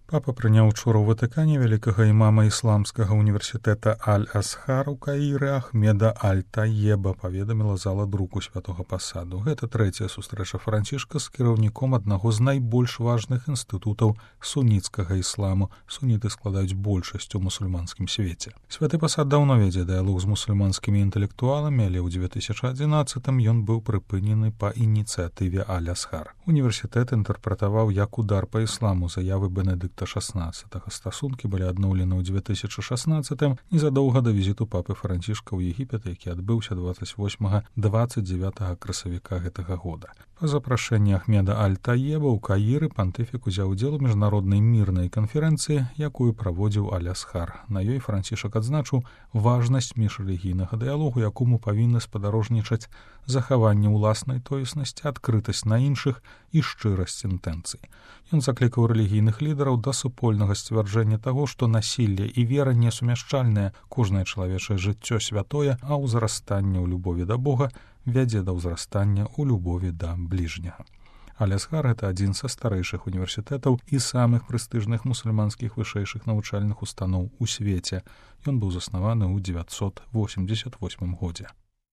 Папа прыняў учора ў Ватыкане вялікага імама ісламскага універсітэта Аль-Асхар у Каіры Ахмеда Аль-Таеба, паведаміла зала друку святога пасаду. Гэта трэцяя сустрэча Францішка з кіраўніком аднаго з найбольш важных інстытутаў суніцкага ісламу. Суніты складаюць большасць у мусульманскім свеце. Святы пасад даўно вядзе дыялог з мусульманскімі інтэлектуаламі, але ў 2011-м ён быў прыпынены па ініцыятыве Аль-Асхар. Універсітэт інтэрпрэтаваў як удар па ісламу заявы Бенедыкта XVI. Стасункі былі адноўлены ў 2016-м незадоўга да візіту папы Францішка ў Егіпет, які адбыўся 28-29 красавіка гэтага года. Па запрашэнні Ахмеда Аль-Таеба ў Каіры пантыфік узяў удзел у міжнароднай мірнай канферэнцыі, якую праводзіў Аль-Асхар. На ёй Францішак адзначыў важнасць міжрэлігійнага дыялогу, якому павінны спадарожнічаць захаванне ўласнай тоеснасці, адкрытасць на іншых і шчырасць інтэнцый. Ён заклікаў рэлігійных лідараў да супольнага сцвярджэння таго, што насілле і вера несумяшчальныя, кожнае чалавечае жыццё святое, а ўзрастанне ў любові да Бога вядзе да ўзрастання ў любові да бліжняга. Аль-Асхар — гэта адзін са старэйшых універсітэтаў і самых прэстыжных мусульманскіх вышэйшых навучальных устаноў у свеце. Ён быў заснаваны ў 988 годзе.